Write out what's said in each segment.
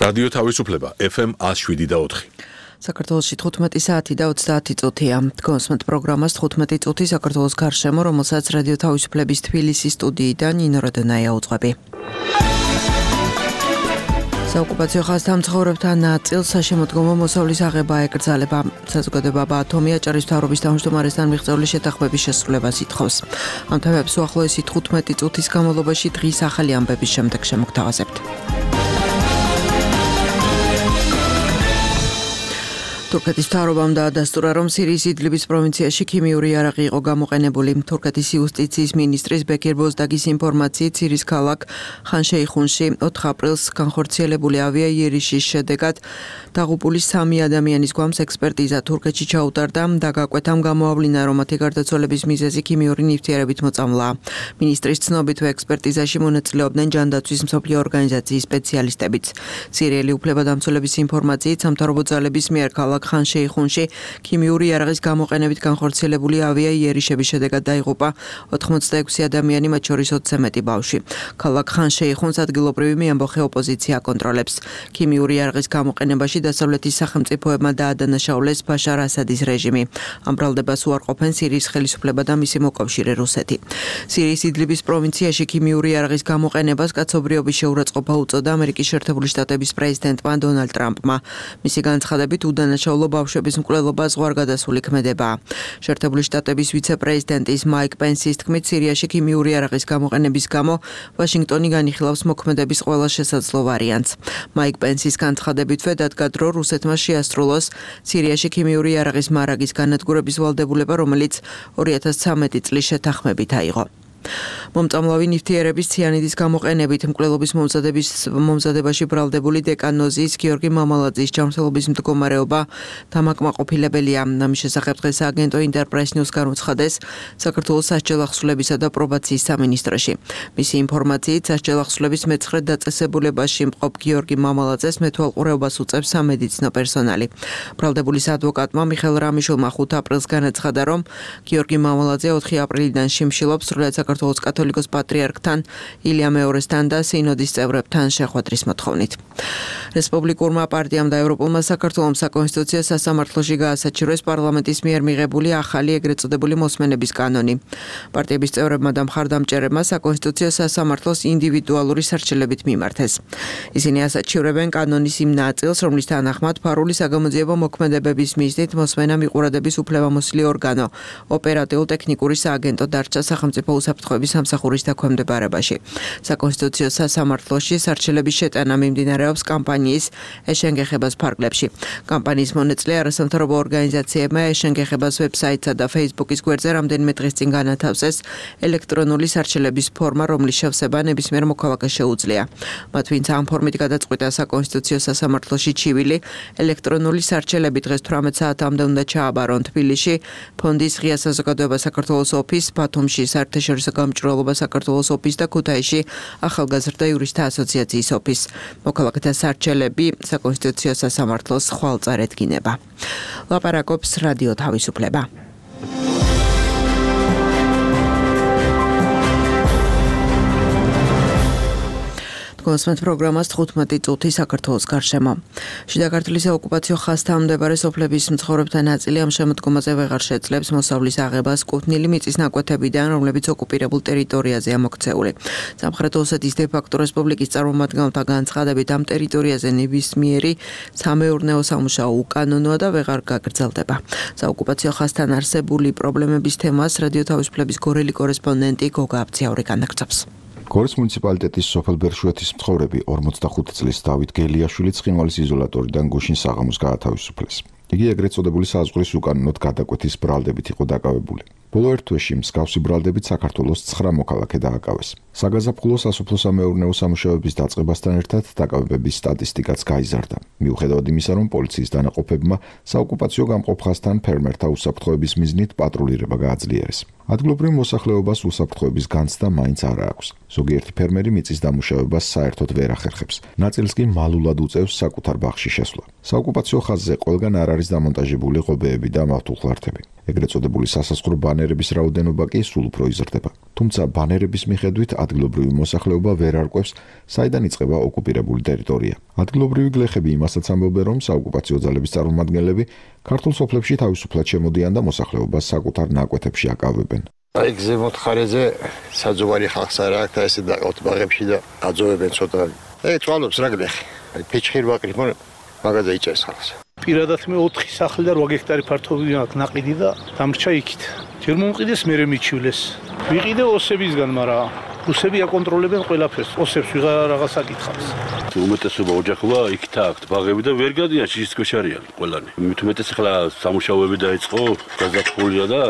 რადიო თავისუფლება FM 107.4. საქართველოში 15 საათი და 30 წუთია. კონსმენტ პროგრამას 15 წუთი საქართველოს გარშემო, რომელსაც რადიო თავისუფლების თბილისის სტუდიიდან ნინო როდონაია უძღვები. საოკუპაციო ხაზთა მცხოვრებთან ნაწილს საშემოდგომო მოსავლის აღება ეკრძალება. საზოგადოება ბათუმი აჭარის მთავრობის თავმჯდომარესთან მიღწეული შეთანხმების შესრულებას ითხოვს. ამ თემებს უახლოესი 15 წუთის განმავლობაში დღის ახალი ამბების შემდეგ შემოგთავაზებთ. თურქეთის მთავრობამ დაადასტურა, რომ სირიის იდლიბის პროვინციაში ქიმიური იარაღი იყო გამოყენებული. თურქეთის იუსტიციის მინისტრის ბეკირ ბოზდაგის ინფორმაციით, სირიის ქალაქ ხან-შეიხუნში 4 აპრილს განხორციელებული ავიაიერიშის შედეგად დაღუპული 3 ადამიანის გვამს ექსპერტიზა თურქეთში ჩაუტარდა და გაკვეთამ გამოავლინა, რომ მათი გარდაცვალების მიზეზი ქიმიური ნივთიერებით მოწამვლაა. მინისტრის ცნობით, ექსპერტიზაში მონაწილეობდნენ ჯანდაცვის მსოფლიო ორგანიზაციის სპეციალისტებიც. სირიელი უფლებადამცველების ინფორმაციით, სამთავრობო ძალების მიერ ქალაქ ხან-შეიხუნში ქიმიური იარაღის გამოყენებით განხორციელებული ავიაიერიშების შედეგად დაიღუპა 86 ადამიანი, მათ შორის 20 მეტი ბავშვი. ქალაქ ხან-შეიხუნს ადგილობრივი მეამბოხე ოპოზიცია აკონტროლებს. ქიმიური იარაღის გამოყენებაში დასავლეთის სახელმწიფოებმა დაადანაშაულეს ბაშარ ასადის რეჟიმი. ამ ბრალდებას უარყოფენ სირიის ხელისუფლება და მისი მოკავშირე რუსეთი. სირიის იდლიბის პროვინციაში ქიმიური იარაღის გამოყენებას კაცობრიობის შეურაცხყოფა უწოდა ამერიკის შეერთებული შტატების პრეზიდენტმა დონალდ ტრამპმა. მისი განცხადებით უდანაშაულო ბავშვების მკვლელობა ზღვარგადასული ქმედებაა. შეერთებული შტატების ვიცე-პრეზიდენტის მაიკ პენსის თქმით, სირიაში ქიმიური იარაღის გამოყენების გამო ვაშინგტონი განიხილავს მოქმედების ყველა შესაძლო ვარიანტს. მაიკ პენსის განცხადებითვე დადგა დრო რუსეთმა შეასრულოს სირიაში ქიმიური იარაღის მარაგის განადგურების ვალდებულება, რომელიც 2013 წლის შეთანხმებით აიღო. მომწამლავი ნივთიერების ციანიდის გამოყენებით მკვლელობის მომზადებაში ბრალდებული დეკანოზის გიორგი მამალაძის ჯანმრთელობის მდგომარეობა დამაკმაყოფილებელია. ამის შესახებ დღეს აგენტო ინტერპრეს ნიუს განუცხადეს საქართველოს სასჯელ ახსულებისა და პრობაციის სამინისტროში. მისი ინფორმაციით, სასჯელ ახსულების მე-9 დაწესებულებაში მყოფ გიორგი მამალაძეს მეთვალყურეობას უწევს სამედიცინო პერსონალი. ბრალდებულის ადვოკატმა მიხელ რამიშულმა 5 აპრილს განაცხადა, რომ გიორგი მამალაძე 4 აპრილიდან შიმშილობს სრულად საქართველოს კათოლიკოს პატრიარქთან, ილია მეორესთან და სინოდის წევრებთან შეხვედრის მოთხოვნით. რესპუბლიკურმა პარტიამ და ევროპულმა საქართველოს საკონსტიტუციო სასამართლოში გაასაჩივრეს პარლამენტის მიერ მიღებული ახალი ეგრეთ წოდებული მოსმენების კანონი. პარტიების წევრებმა და მხარდამჭერებმა საკონსტიტუციო სასამართლოს ინდივიდუალური სარჩელებით მიმართეს. ისინი ასაჩივრებენ კანონის იმ ნაწილს, რომლის თანახმად ფარული საგამოძიებო მოქმედებების მიზნით მოსმენა მიყურადების უფლებამოსილი ორგანო ოპერატიულ-ტექნიკური სააგენტო დარჩა სახელმწიფო უსაფრთხოების სამსახურის დაქვემდებარებაში. საკონსტიტუციო სასამართლოში სარჩელების შეტანა მიმდინარეობს კამპანიის ეშენგეხებას ფარგლებში. კამპანიის მონაწილე არასამთავრობო ორგანიზაციებმა ეშენგეხებას ვებსაიტსა და Facebook-ის გვერდზე რამდენიმე დღის წინ განათავსეს ელექტრონული სარჩელების ფორმა, რომლის შევსება ნებისმიერ მოქალაქეს შეუძლია. მათ ვინც ამ ფორმით გადაწყვიტა საკონსტიტუციო სასამართლოში ჩივილი, ელექტრონული სარჩელები დღეს 18 საათამდე უნდა ჩააბარონ თბილისში, ფონდის ღია საზოგადოება საქართველოს ოფისს, ბათუმში საერთაშორისო გამჭვირვალობა საქართველოს ოფისს და ქუთაისში ახალგაზრდა იურისტთა ასოციაციის ოფისს. მოქალაქეთა სარჩელები საკონსტიტუციო სასამართლოს ხვალწარ ედგინება. ლაპარაკობს რადიო თავისუფლება. კონსმენტ პროგრამას 15 წუთი საქართველოს გარშემო. შიდა ქართლის ოკუპაციო ხაზთან მდებარე სოფლების მცხოვრებთა ნაწილი ამ შემოდგომაზე ვეღარ შეძლებს მოსავლის აღებას კუთვნილი მიწის ნაკვეთებიდან, რომლებიც ოკუპირებულ ტერიტორიაზეა მოქცეული. სამხრეთ ოსეთის დე-ფაქტო რესპუბლიკის წარმომადგენელთა განცხადებით, ამ ტერიტორიაზე ნებისმიერი სამეურნეო სამუშაო უკანონოა და ვეღარ გაგრძელდება. საოკუპაციო ხაზთან არსებული პრობლემების თემას რადიო თავისუფლების გორელი კორესპონდენტი გოგა აბციაური განაგრძობს. გორის მუნიციპალიტეტის სოფელ ბერშუეთის მცხოვრები 45 წლის დავით გელიაშვილი ცხინვალის იზოლატორიდან გუშინ საღამოს გაათავისუფლეს. იგი ეგრეთ წოდებული საზღვრის უკანონოდ გადაკვეთის ბრალდებით იყო დაკავებული. ბოლო ერთ თვეში მსგავსი ბრალდებით საქართველოს 9 მოქალაქე დააკავეს. საგაზაფხულო სასოფლო-სამეურნეო სამუშაოების დაწყებასთან ერთად დაკავებების სტატისტიკაც გაიზარდა. მიუხედავად იმისა, რომ პოლიციის დანაყოფებმა საოკუპაციო გამყოფ ხაზთან ფერმერთა უსაფრთხოების მიზნით პატრულირება გააძლიერეს. ადგილობრივ მოსახლეობას უსაფრთხოების განცდა მაინც არ აქვს. ზოგიერთი ფერმერი მიწის დამუშავებას საერთოდ ვერ ახერხებს. ნაწილს კი მალულად უწევს საკუთარ ბაღში შესვლა. საოკუპაციო ხაზზე ყველგან არ არის დამონტაჟებული ყობეები და მავთულხლართები. ეგრეთ წოდებული სასაზღვრო ბანერების რაოდენობა კი სულ უფრო იზრდება. თუმცა ბანერების მიხედვით ადგილობრივი მოსახლეობა ვერ არკვევს, საიდან იწყება ოკუპირებული ტერიტორია. ადგილობრივი გლეხები იმასაც ამბობენ, რომ საოკუპაციო ძალების წარმომადგენლები ქართულ სოფლებში თავისუფლად შემოდიან და მოსახლეობას საკუთარ ნაკვეთებში აკავებენ. აი ზემოთ ხარეზე საძოვარი ხალხს არ აქვს და ესე დაყავთ ბაღებში და აძოვებენ ცოტა. აი წვალობს რა გლეხი. აი ფიჩხი ვაკრით მაგაზე იჭერს ხალხს. პირადად მე 4 სახლი და 8 ჰექტარი ფართობი აქვს ნაყიდი და დამრჩა იქით. ჯერ მომყიდეს მერე მიჩივლეს. ვიყიდე ოსებისგან, მაგრამ რუსები აკონტროლებენ ყველაფერს. ოსებს ვიღარ რაღაც აკითხავს. უმეტესობა ოჯახობა იქით აქვს ბაღები და ვერ გადიან შიშის არიან ყველანი. მით უმეტეს ახლა სამუშაოები დაიწყო, გაზაფხულია და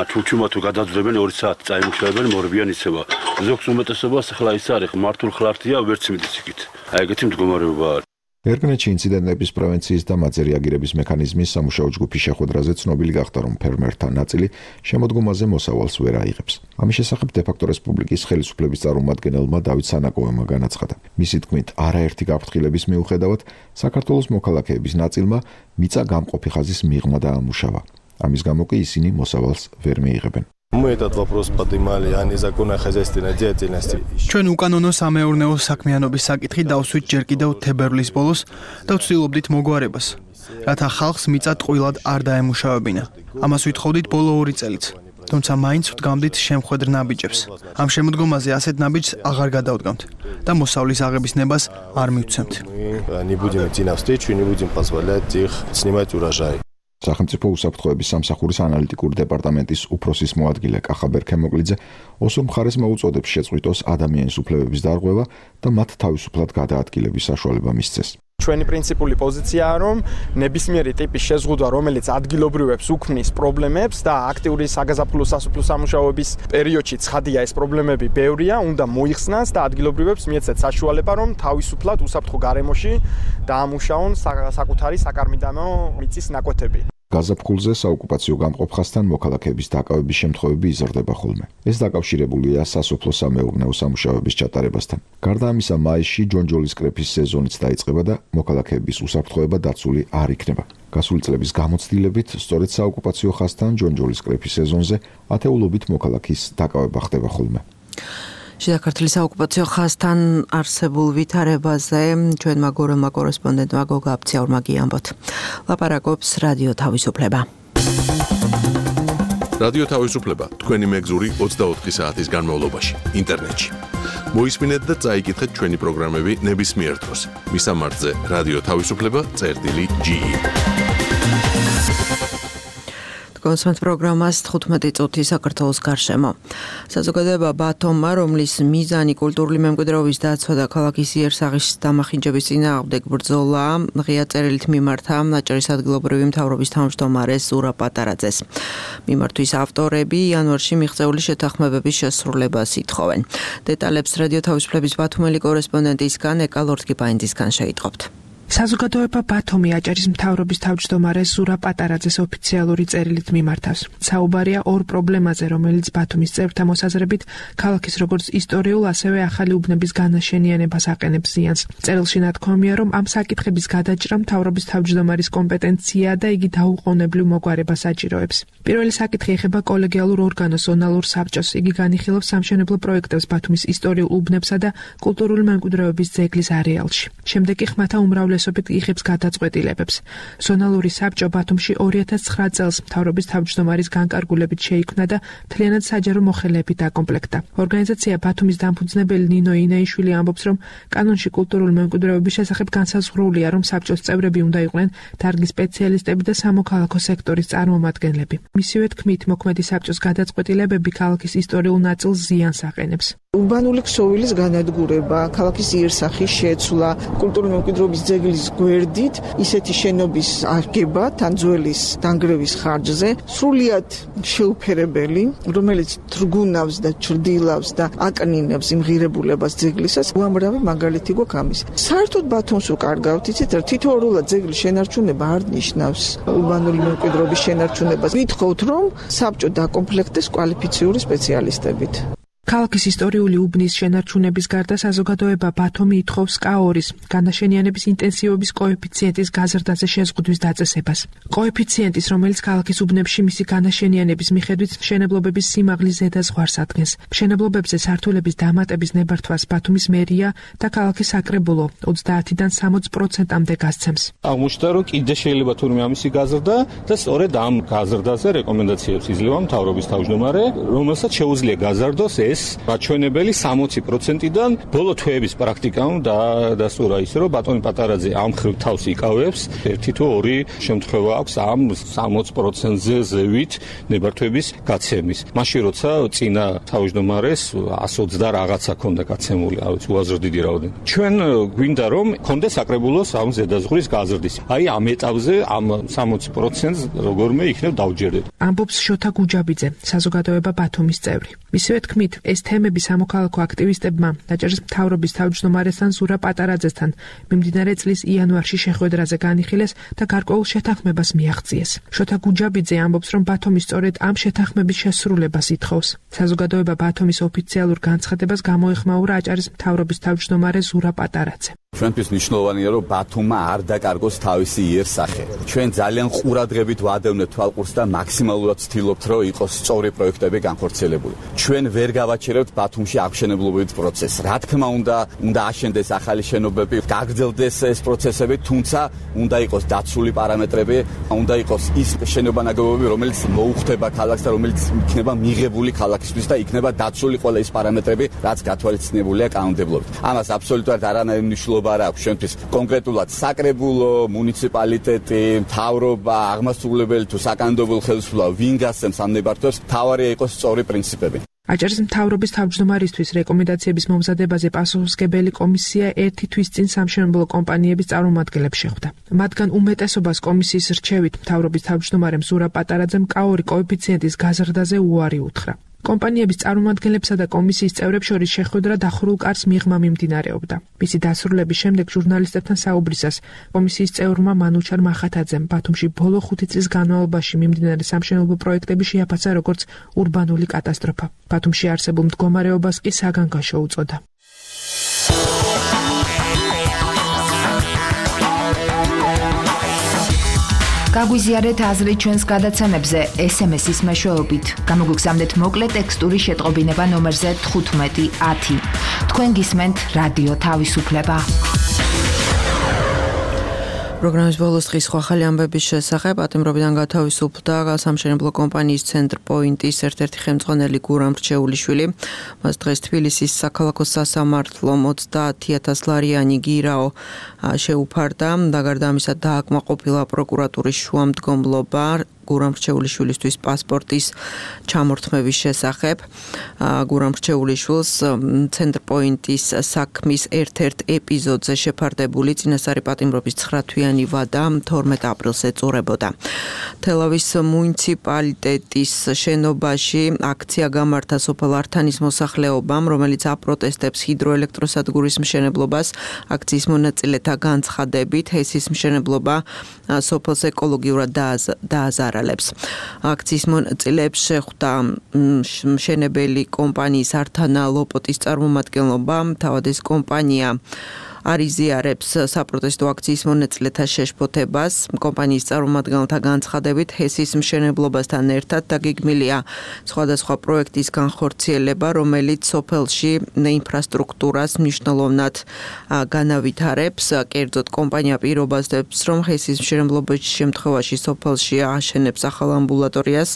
ჩუჩუმა თუ გადაძვლებენ 2 საათი წაიმუშავებენ, მორბიან იცება. ზოგს უმეტესობას ახლა ის არის მართულ ხლართია, ვერც მიდის იქით. აი ეგეთი მდგომარეობა არის. ერგნეთში ინციდენტების პრევენციის და მათზე რეაგირების მექანიზმის სამუშაო ჯგუფის შეხვედრაზე ცნობილი გახდა, რომ ფერმერთა ნაწილი შემოდგომაზე მოსავალს ვერ აიღებს. ამის შესახებ დე-ფაქტო რესპუბლიკის ხელისუფლების წარმომადგენელმა დავით სანაკოვმა განაცხადა. მისი თქმით, არაერთი გაფრთხილების მიუხედავად, საქართველოს მოქალაქეების ნაწილმა მიწა გამყოფი ხაზის მიღმა დაამუშავა. ამის გამო კი ისინი მოსავალს ვერ მიიღებენ. Мы этот вопрос поднимали, а незаконно-хозяйственной деятельности. ჩვენ უკანონო სამეურნეო საქმიანობის საკითხი დავსვით ჯერ კიდევ თებერვლის ბოლოს და ვცდილობდით მოგვარებას, რათა ხალხს მიწა ტყუილად არ დაემუშავებინა. ამას ვითხოვდით ბოლო 2 წელიც. თუმცა მაინც ვდგამდით შემხვედრ ნაბიჯებს. ამ შემოდგომაზე ასეთ ნაბიჯს აღარ გადავდგამთ და მოსავლის აღების ნებას არ მივცემთ. Не будем идти навстречу, не будем позволять их снимать урожай. სახელმწიფო უსაფრთხოების სამსახურის ანალიტიკური დეპარტამენტის უფროსის მოადგილე კახაბერ ქემოკლიძე ოსურ მხარეს მოუწოდებს შეწყვიტოს ადამიანის უფლებების დარღვევა და მათ თავისუფლად გადაადგილების საშუალება მისცეს. ჩვენი პრინციპული პოზიციაა, რომ ნებისმიერი ტიპის შეზღუდვა, რომელიც ადგილობრივებს უქმნის პრობლემებს და აქტიური საგაზაფხულო სასოფლო სამუშაოების პერიოდში ცხადია ეს პრობლემები ბევრია, უნდა მოიხსნას და ადგილობრივებს მიეცეთ საშუალება, რომ თავისუფლად უსაფრთხო გარემოში დაამუშაონ საკუთარი საკარმიდამო მიწის ნაკვეთები. გაზაფხულზე საოკუპაციო გამყოფ ხაზთან მოქალაქეების დაკავების შემთხვევები იზრდება ხოლმე. ეს დაკავშირებულია სასოფლო სამეურნეო სამუშაოების ჩატარებასთან. გარდა ამისა, მაისში ჯონჯოლის კრეფის სეზონიც დაიწყება და მოქალაქეების უსაფრთხოება დაცული არ იქნება. გასული წლების გამოცდილებით, სწორედ საოკუპაციო ხაზთან ჯონჯოლის კრეფის სეზონზე ათეულობით მოქალაქის დაკავება ხდება ხოლმე. საქართველოს საოკუპაციო ხაზთან არსებულ ვითარებაზე ჩვენმა გორელმა კორესპონდენტმა გოგა აბციაურმა გიამბოთ. ლაპარაკობს რადიო თავისუფლება. რადიო თავისუფლება თქვენი მეგზური 24 საათის განმავლობაში ინტერნეტში. მოისმინეთ და წაიკითხეთ ჩვენი პროგრამები ნებისმიერ დროს. მისამართზე რადიო თავისუფლება.ge. კონსმეთ პროგრამას 15 წუთი საქართველოს გარშემო. საზოგადოება ბათუმმა, რომლის მიზანი კულტურული მემკვიდრეობის დაცვა და ქალაქის იერსაღის დამახინჯების წინააღმდეგ ბრძოლა, ღია წერილით მიმართა აჭარის ადგილობრივი მთავრობის თავმჯდომარეს ზურაბ პატარაძეს. მიმართვის ავტორები იანვარში მიღწეული შეთანხმებების შესრულებას ითხოვენ. დეტალებს რადიო თავისუფლების ბათუმელი კორესპონდენტისგან ეკა ლორთგიფაინძისგან შეიტყობთ. საზოგადოება ბათუმი აჭარის მთავრობის თავმჯდომარეს ზურაბ პატარაძეს ოფიციალური წერილით მიმართავს. საუბარია ორ პრობლემაზე, რომელიც ბათუმის წევრთა მოსაზრებით ქალაქის როგორც ისტორიულ, ასევე ახალი უბნების განაშენიანებას აყენებს ზიანს. წერილში ნათქვამია, რომ ამ საკითხების გადაჭრა მთავრობის თავმჯდომარის კომპეტენციაა და იგი დაუყოვნებლივ მოგვარებას აჭიროებს. პირველი საკითხი ეხება კოლეგიალურ ორგანოს ზონალურ საბჭოს. იგი განიხილავს სამშენებლო პროექტებს ბათუმის ისტორიულ უბნებსა და კულტურული მემკვიდრეობის ძეგლის არეალში. შემდეგ კი ხმათა უმრავლესობით იღებს გადაწყვეტილებებს. ზონალური საბჭო ბათუმში 2009 წელს მთავრობის თავმჯდომარის განკარგულებით შეიქმნა და მთლიანად საჯარო მოხელეებით აკომპლექტდა. ორგანიზაცია ბათუმის დამფუძნებელი ნინო ინაიშვილი ამბობს, რომ კანონში კულტურული მემკვიდრეობის შესახებ განსაზღვრულია, რომ საბჭოს წევრები უნდა იყვნენ დარგის სპეციალისტები და სამოქალაქო სექტორის წარმომადგენლები. მისივე თქმით, მოქმედი საბჭოს გადაწყვეტილებები ქალაქის ისტორიულ ნაწილს ზიანს აყენებს. ურბანული ქსოვილის განადგურება, ქალაქის იერსახის შეცვლა, კულტურული მემკვიდრეობის ძეგლის გვერდით ისეთი შენობის აღება თან ძველის დანგრევის ხარჯზე, სრულიად შეუფერებელი, რომელიც თრგუნავს და ჩრდილავს და აკნინებს იმ ღირებულებას ძეგლისას, უამრავი მაგალითი გვაქვს ამის. საერთოდ ბათუმს უკარგავთ, იცით, თითოეულად ძეგლის შენარჩუნება არ ნიშნავს ურბანული მემკვიდრეობის შენარჩუნებას. ვითხოვთ, რომ საბჭო დაკომპლექტდეს კვალიფიციური სპეციალისტებით. ქალაქის ისტორიული უბნის შენარჩუნების გარდა საზოგადოება ბათუმი ითხოვს K2-ის განაშენიანების ინტენსივობის კოეფიციენტის გაზრდაზე შეზღუდვის დაწესებას. კოეფიციენტის, რომელიც ქალაქის უბნებში მისი განაშენიანების მიხედვით მშენებლობების სიმაღლის ზედაზღვარს ადგენს. მშენებლობებზე სართულების დამატების ნებართვას ბათუმის მერია და ქალაქის საკრებულო 30-დან 60%-მდე გასცემს. აღმოჩნდა, რომ კიდე შეიძლება თურმე ამისი გაზრდა და სწორედ ამ გაზრდაზე რეკომენდაციებს იძლევა მთავრობის თავმჯდომარე, რომელსაც შეუძლია გაზარდოს რაჩვენებელი 60%-დან ბოლო თვეების პრაქტიკამ დასტურა ისე, რომ ბატონი პატარაძე ამ ხრივ თავს იკავებს, ერთი თუ ორი შემთხვევა აქვს ამ 60%-ზე ზევით ნებართვების გაცემის. მაშინ როცა წინა თავმჯდომარეს 120 რაღაცა ქონდა გაცემული, არ ვიცი, უაზრო დიდი რაოდენობა. ჩვენ გვინდა რომ ქონდეს საკრებულოს ამ ზედაზღვრის გაზრდის. აი ამ ეტაპზე ამ 60%-ს როგორმე იქნებ დავჯერდეთ. ამბობს შოთა გუჯაბიძე, საზოგადოება ბათუმის წევრი. მისივე თქმით, ეს თემები სამოქალაქო აქტივისტებმა დაჭერის მთავრობის თავმჯდომარესთან ზურა პატარაძესთან მიმდინარე წლის იანვარში შეხვედრაზე განიხილეს და გარკვეულ შეთანხმებას მიაღწიეს. შოთა გუჯაბიძე ამბობს, რომ ბათუმი სწორედ ამ შეთანხმების შესრულებას ითხოვს. საზოგადოება ბათუმის ოფიციალურ განცხადებას გამოეხმაურა აჭარის მთავრობის თავმჯდომარე ზურა პატარაძე. ჩვენთვის მნიშვნელოვანია, რომ ბათუმმა არ დაკარგოს თავისი იერსახე. ჩვენ ძალიან ყურადღებით ვადევნებთ თვალყურს და მაქსიმალურად ვცდილობთ, რომ იყოს სწორი პროექტები განხორციელებული. ჩვენ ვერ გავაჩერებთ ბათუმში აღმშენებლობით პროცესს. რა თქმა უნდა აშენდეს ახალი შენობები, გაგრძელდეს ეს პროცესები, თუმცა უნდა იყოს დაცული პარამეტრები, უნდა იყოს ის შენობანაგებობები, რომელიც მოუხდება ქალაქს და რომელიც იქნება მიღებული ქალაქისთვის და იქნება დაცული ყველა ის პარამეტრები, რაც გათვალისწინებულია კანონმდებლობით. ამას აბსოლუტურად არანაირი მნიშვნელობა არ აქვს ჩვენთვის. კონკრეტულად საკრებულო, მუნიციპალიტეტი, მთავრობა, აღმასრულებელი თუ საკანონმდებლო ხელისუფლება ვინ გასცემს ამ ნებართვებს, თავარია იყოს სწორი პრინციპები. აჭარის მთავრობის თავმჯდომარისთვის რეკომენდაციების მომზადებაზე პასუხისმგებელი კომისია ერთი თვის წინ სამშენებლო კომპანიების წარმომადგენლებს შეხვდა. მათგან უმეტესობას კომისიის რჩევით მთავრობის თავმჯდომარემ ზურა პატარაძემ K2 კოეფიციენტის გაზრდაზე უარი უთხრა. კომპანიების წარმომადგენლებსა და კომისიის წევრებს შორის შეხვედრა დახურულ კარს მიღმა მიმდინარეობდა. მისი დასრულების შემდეგ ჟურნალისტებთან საუბრისას კომისიის წევრმა მანუჩარ მახათაძემ ბათუმში ბოლო 5 წლის განმავლობაში მიმდინარე სამშენებლო პროექტები შეაფასა როგორც ურბანული კატასტროფა. ბათუმში არსებულ მდგომარეობას კი საგანგაშო უწოდა. გაგვიზიარეთ აზრი ჩვენს გადაცემებზე SMS-ის მეშვეობით. გამოგვიგზავნეთ მოკლე ტექსტური შეტყობინება ნომერზე 1510. თქვენ გისმენთ რადიო თავისუფლება. პროგრამის ბოლოს დღის ახალი ამბების შესახებ ატემრობიდან გათავისუფლდა სამშენებლო კომპანიის ცენტრპოინტის ერთ-ერთი ხელმძღვანელი გურამ რჩეულიშვილი. მას დღეს თბილისის საქალაქო სასამართლომ 30,000 ლარიანი გირაო შეუფარდა და გარდა ამისა დააკმაყოფილა პროკურატურის შუამდგომლობა გურამ რჩეულიშვილისთვის პასპორტის ჩამორთმევის შესახებ. გურამ რჩეულიშვილს ცენტრპოინტის საქმის ერთ-ერთ ეპიზოდზე შეფარდებული წინასწარი პატიმრობის 9 თვიანი ვადა 12 აპრილს ეწურებოდა. თელავის მუნიციპალიტეტის შენობაში აქცია გამართა სოფელ ართანის მოსახლეობამ, რომელიც აპროტესტებს ჰიდროელექტროსადგურის მშენებლობას. აქციის მონაწილეთა განცხადებით, ჰესის მშენებლობა სოფელს ეკოლოგიურად დააზარალებს. აქციის მონაწილეებს შეხვდა მშენებელი კომპანიის ართანა ლოპოტის წარმომადგენლობა. თავად ეს კომპანია არიზიარებს საპროტესტო აქციის მონაწილეთა შეშფოთებას. კომპანიის წარმომადგენელთა განცხადებით, ჰესის მშენებლობასთან ერთად დაგეგმილია სხვადასხვა პროექტის განხორციელება, რომელიც სოფელში ინფრასტრუქტურას მნიშვნელოვნად განავითარებს. კერძოდ, კომპანია პირობაზობს, რომ ჰესის მშენებლობის შემთხვევაში სოფელში აშენებს ახალ ამბულატორიას,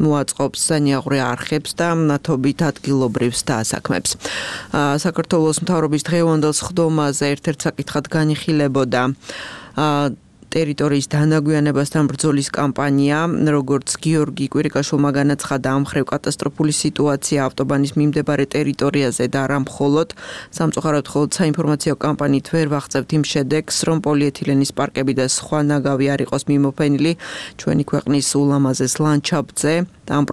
მოაწყობს სანიაღვრე არხებს და ნათობით ადგილობრივ დასაქმებს. საქართველოს მთავრობის დღევანდელ სხდომაზე ერთ-ერთ საკითხად განიხილებოდა ტერიტორიის დანაგვიანებასთან ბრძოლის კამპანია, როგორც გიორგი კვირიკაშვილმა განაცხადა, ამ ხრივ კატასტროფული სიტუაცია ავტობანის მიმდებარე ტერიტორიაზე და არა მხოლოდ სამწუხაროდ მხოლოდ საინფორმაციო კამპანიით ვერ ვაღწევთ იმ შედეგს, რომ პოლიეთილენის პარკები და სხვა ნაგავი არ იყოს მიმოფენილი ჩვენი ქვეყნის ულამაზეს ლანდშაფტზე. ამ